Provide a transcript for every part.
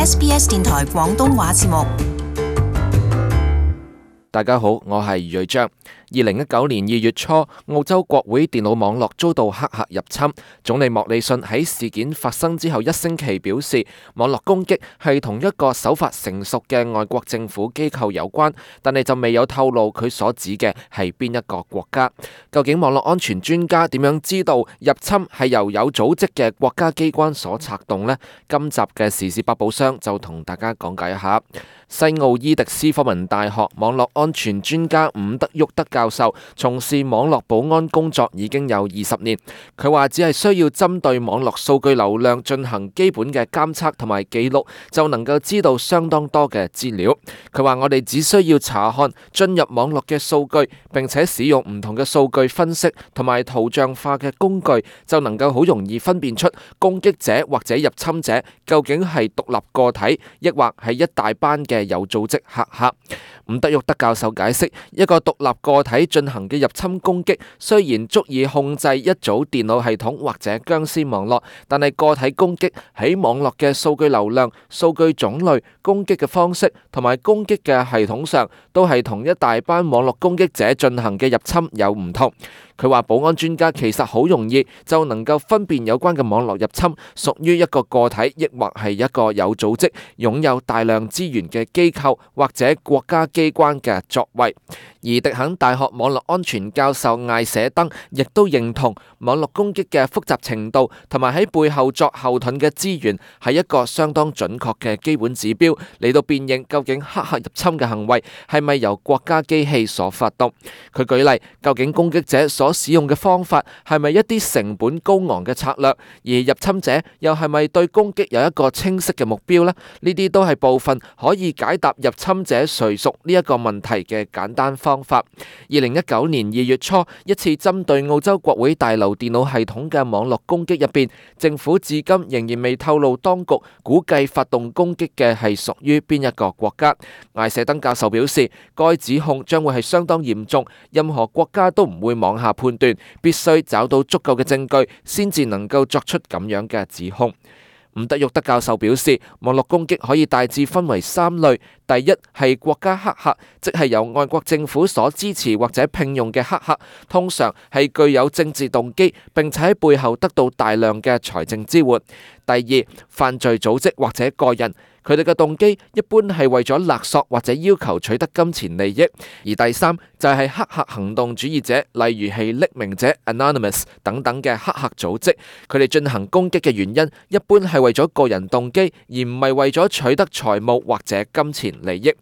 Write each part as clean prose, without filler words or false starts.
SBS 電台廣東話節目。大家好，我係余瑞章。2019年2月初，澳洲國會電腦網絡遭到黑客入侵。總理莫里遜喺事件發生之後1星期表示，網絡攻擊係同一個手法成熟嘅外國政府機構有關，但係就未有透露佢所指嘅係邊一個國家。究竟網絡安全專家點樣知道入侵係由有組織嘅國家機關所策動呢？今集嘅時事百寶箱就同大家講解一下。西澳伊迪斯科文大學網絡安全專家伍德沃德教授從事網絡保安工作已經有20年。佢話只係需要針對網絡數據流量進行基本嘅監測同埋記錄，就能夠知道相當多嘅資料。佢話我哋只需要查看進入網絡嘅數據，並且使用唔同嘅數據分析同埋圖像化嘅工具，就能夠好容易分辨出攻擊者或者入侵者究竟係獨立個體，抑或係一大班嘅有組織黑客。伍德沃德教授解釋，一個獨立個體進行嘅入侵攻擊，雖然足以控制一組電腦系統或者僵屍網絡，但係個體攻擊喺網絡嘅數據流量、數據種類、攻擊嘅方式同埋攻擊嘅系統上，都係同一大班網絡攻擊者進行嘅入侵有唔同。佢話保安專家其實好容易就能夠分辨有關嘅網絡入侵屬於一個個體，抑或係一個有組織、擁有大量資源嘅機構或者國家機關嘅作為。而迪肯大學網絡安全教授艾舍登亦都認同網絡攻擊嘅複雜程度同埋喺背後作後盾嘅資源係一個相當準確嘅基本指標，嚟到辨認究竟黑客入侵嘅行為係咪由國家機器所發動。佢舉例，究竟攻擊者所使用嘅方法係咪一啲成本高昂嘅策略，而入侵者又係咪對攻擊有一個清晰嘅目標呢？呢啲都係部分可以解答入侵者誰屬呢一個問題嘅簡單方法。2019年2月初，一次針對澳洲國會大樓電腦系統嘅網絡攻擊入邊，政府至今仍然未透露當局估計發動攻擊嘅係屬於邊一個國家。艾舍登教授表示，該指控將會係相當嚴重，任何國家都唔會妄下判斷，必須找到足夠嘅證據先至能夠作出咁樣嘅指控。伍德沃德教授表示，網絡攻擊可以大致分為3類。第一係國家黑客，即係由外國政府所支持或者聘用嘅黑客，通常係具有政治動機，並且喺背後得到大量嘅財政支援。第二，犯罪組織或者個人，佢哋嘅動機一般係為咗勒索或者要求取得金錢利益。而第三就係黑客行動主義者，例如係匿名者 Anonymous 等等嘅黑客組織，佢哋進行攻擊嘅原因一般係為咗個人動機，而唔係為咗取得財務或者金錢利益。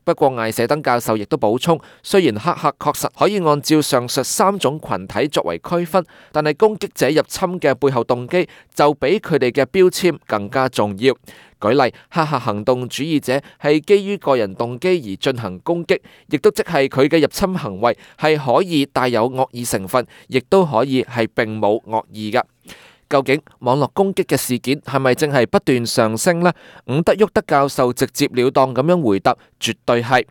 不過艾舍登教授亦都補充，雖然黑客確實可以按照上述3種群體作為區分，但係攻擊者入侵嘅背後動機就比佢哋嘅標籤更加重要。舉例，黑客行動主義者係基於個人動機而進行攻擊，亦都即係佢嘅入侵行為係可以帶有惡意成分，亦都可以係並冇惡意㗎。究竟網絡攻擊嘅事件係咪正係不斷上升呢？伍德沃德教授直接了當咁樣回答，絕對係。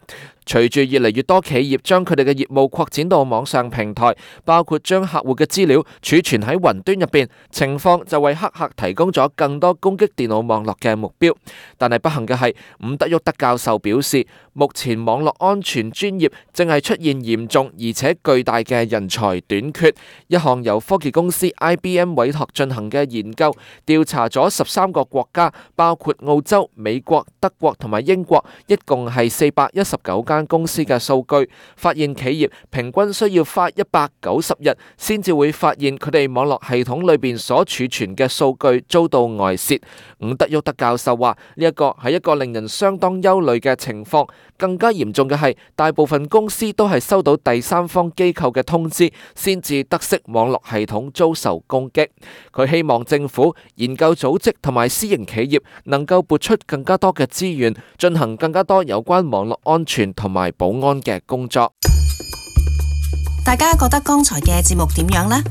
隨住越嚟越多企業將佢哋嘅業務擴展到網上平台，包括將客戶嘅資料儲存喺雲端入邊，情況就為黑客提供咗更多攻擊電腦網絡嘅目標。但係不幸嘅係，伍德沃德教授表示，目前網絡安全專業正係出現嚴重而且巨大嘅人才短缺。一項由科技公司 IBM 委託進行嘅研究，調查咗13個國家，包括澳洲、美國、德國同埋英國，一共係419間公司嘅數據，發現企業平均需要花190日先至會發現佢哋網絡系統裏邊所儲存嘅數據遭到外泄。伍德沃德教授話，呢一個係一個令人相當憂慮嘅情況。更加嚴重嘅係，大部分公司都係收到第三方機構嘅通知，先至得悉網絡系統遭受攻擊。佢希望政府、研究組織同埋私營企業能夠撥出更加多嘅資源，進行更加多有關網絡安全同埋保安嘅工作。大家覺得剛才嘅節目點樣呢？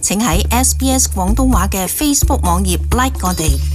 請喺 SBS 廣東話嘅 Facebook 網頁 like 我哋。